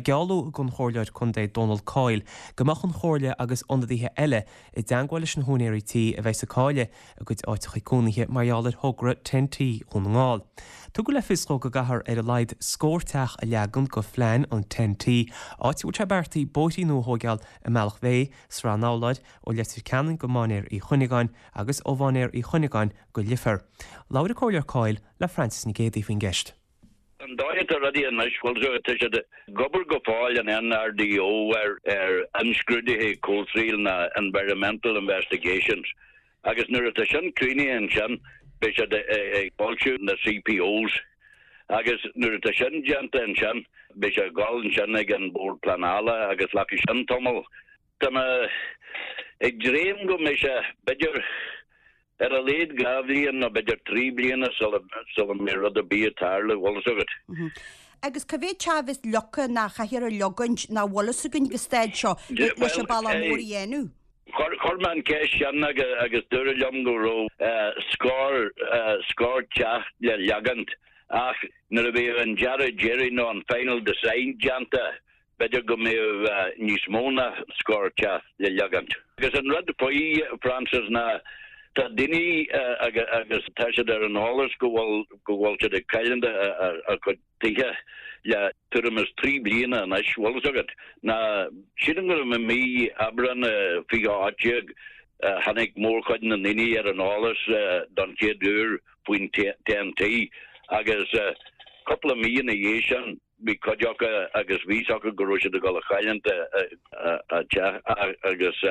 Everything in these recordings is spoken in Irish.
gealladh don Chomhairleoir Contae Dónal Coyle go mbeadh an Chomhairle agus ionadaithe eile i dteangmháil leis na húinéirí tí a bheas ag cailleadh a gcuid áiteacha cónaithe mar gheall ar thogra Ten-T Dhún na nGall. Tugadh le fios dhó go gcaithfear ar a laghad scór teach a leagan go phlean an Ten-T, áit a bhfuil sé beartaithe bóithrí nua a thóigeáil i mBealach Féich, Srath an Fhoghlair, ó Leitir Ceanainn go Mainéar Uí Chuinneagáin agus ó Mhainéar Uí Chuinneagáin go Leifear. Labhair an Comhairleoir Coyle le Frances Nic Géadaigh faoin gceist. An dóigh atá rudaí anois, bhuel, tá siad ag obair go fóill an NRDO ar ar imscrúduithe comhshaoil ná environmental investigations agus nuair atá sin críochnaithe ansin beidh siad ag foilsiú na CPOs agus nuair atá sin déanta ansin beidh sé ag dul ansin ag an Bord Pleanála agus glacfaidh sin tamall. Tá mé ag dréim go mbeidh sé b'fhéidir ar a laghad 2 bhliain nó b'fhéidir 3 bliana sula mbeidh rud ar bith ag tarlú, bhfuil fhios agat. Agus cá mhéad teach a bheas leagtha ná a chaithfear a leogaint nach bhfuil fhios againn ag an staid seo leis an bealach mór a dhéanamh? Chuir mé an ceist sin agus dúradh liom go raibh scór scór teach le leagaint ach nuair a bheadh an dearadh deiridh nó an final design déanta B'fhéidir go mbeadh níos mó ná scór teach le leagaint. Agus an rud faoi, Frances, ná tá daoine agus tá siad ar an eolas go bhfuil go bhfuil siad ag cailliúint a gcuid tithe le tuairim is 3 bliana anois, bhfuil fhios agat. Ná sílim go raibh i mí Aibreán 2018 tháinig mórchuid na ndaoine ar an eolas don chéad uair faoin Ten-T agus cúpla mí ina dhiaidh sin, Bhí cuid acu agus bhí fhios acu go raibh siad ag dul a chailliúint a dteach agus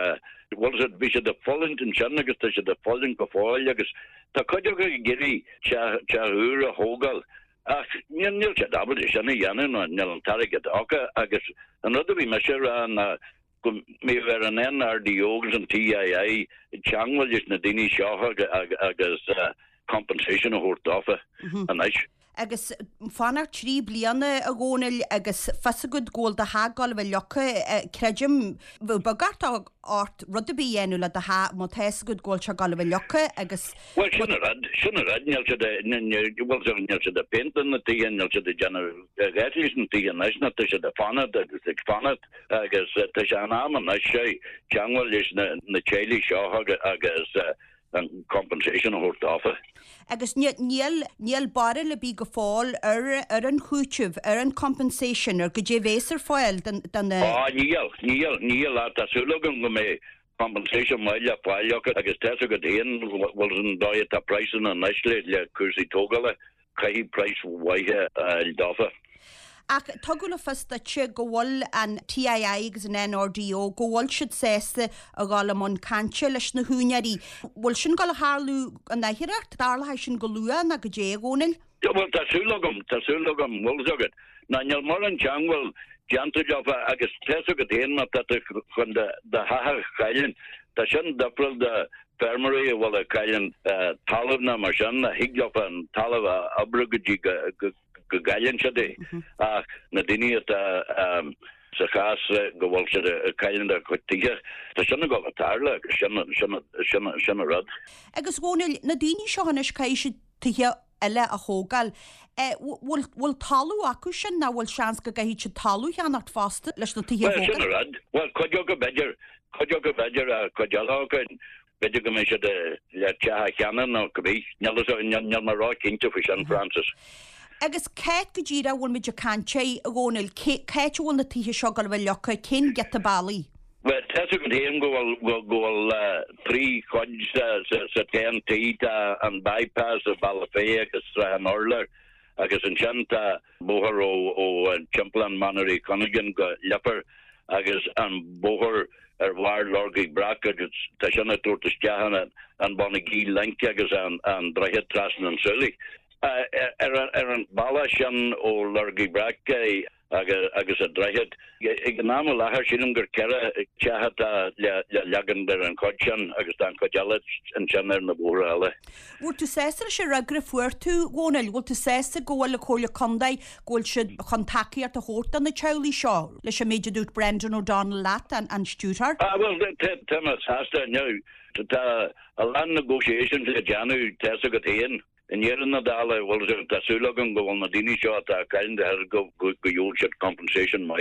bhfuil fhios agat, bhí siad ag fulaingt ansin agus tá siad ag fulaingt go fóill agus tá cuid acu ag iarraidh teach, teach úr a thógáil ach níl, níl siad ábalta sin a dhéanamh nó níl an t-airgead acu agus an rud a bhí mise a rá ná go mbeadh ar an NRDO agus an TII teangmháil leis na daoine seo agus compensation a thabhairt dófa anois. Agus fanacht 3 bliana, a Dhónaill, agus fios agat go bhfuil do theach ag gabháil a bheith leagtha, creidim, bheadh beag ort rud ar bith a dhéanamh le do theach má tá fhios agat go bhfuil sé ag gabháil a bheith leagtha agus. Bhuel, sin an rud, sin an rud, níl siad, bhuel, níl siad ag péinteáil na tithe, níl siad ag déanamh a dhath leis na tithe anois, ná tá siad ag fanacht agus ag fanacht agus tá sé in am anois teangmháil leis na teaghlaigh seo agus an compensation a thabhairt dófa. Agus níl, níl barúil ar bith go fóill ar, ar an chúiteamh, ar an compensation, ar goidé a bhéas ar fáil don, don. Á, níl, níl, níl, ach tá súil agam go mbeidh compensation maith le fáil acu agus tá's agat féin, bhfuil an dóigh atá praghsanna anois le, le cúrsaí tógála. Caithfidh praghas mhaith a fháil dófa. Ach tugadh le fios duitse go bhfuil an TII agus an NRDO, go bhfuil siad sásta a dhul i mbun cainte leis na húinéirí. Bhfuil sin ag gabháil a tharlú an athuair? Tarlóidh sin go luath nó goidé, a Dhónaill? Bhuel, tá súil agam, tá súil agam, bhfuil fhios agat. Ná níl mórán teangmháil déanta leofa agus tá's agat féin má tá tú chun do theach a chailliúint, tá sin difriúil de feirmeoirí a bhfuil ag cailliúint talamh ná mar sin, a thig leofa an talamh a oibriú go dtí go gcailleann siad é. Ach na daoine atá sa chás go bhfuil siad ag cailliúint a gcuid tithe, tá sin ag dul a tarlú agus sin, sin, sin, sin an rud. Agus Dhónaill, na daoine seo anois caithfidh siad tithe eile a thógáil. Bhfuil, bhfuil talamh acu sin nó bhfuil seans go gcaithfidh siad talamh a cheannacht fosta leis na tithe a Bhuel, sin thógáil? an rud. Bhuel, cuid acu b'fhéidir, cuid acu b'fhéidir ach cuid eile acu, b'fhéidir go mbeidh siad le teach a cheannach nó cibé. Níl fhios agam, níl, níl mé ró-chinnte faoi sin, Frances. Agus c'áit go díreach a bhfuil muid ag caint air, a Dhónaill? Cé, c'áit a bhfuil na tithe seo ag gabháil a bheith leagtha? Cén giota bealaigh? Bhuel, tá's agat féin go bhfuil, go bhfuil 3 chuid sa, sa, sa Ten-T, tá an bypass i Bealach Féich agus Srath an Urláir agus ansin tá bóthar ó, ó Timpeallán Mhainéar Uí Chuinneagáin go Leifear agus an bóthar ar bharr Lorgaí Breac agus tá sin ag tabhairt isteach an, an Bonagee Link agus an, an droichead trasna an tSúilí. Ar an, ar an bealach sin ó Lorgaí Breac, agus an droichead. Ag an am i láthair, sílim gur 4 teach atá le leagan ar an chuid sin agus tá an chuid eile ansin ar na bóithre eile. Bhfuil tú sásta leis an fhreagra a fuair tú, Dhónaill? Bhfuil tú sásta go bhfuil an Chomhairle Contae, go bhfuil siad chun tacaíocht a thabhairt do na teaghlaigh seo, leis an méid a dúirt Brendan O'Donnell leat, an stiúrthóir? Ah, bhuel, tá mé sásta. Now, tá a lán negotiations le déanamh, tá's agat féin. I ndeireadh na dála, bhuel, tá súil agam go bhfuil na daoine seo atá ag cailliúint a dtithe go gheobhaidh siad compensation maith.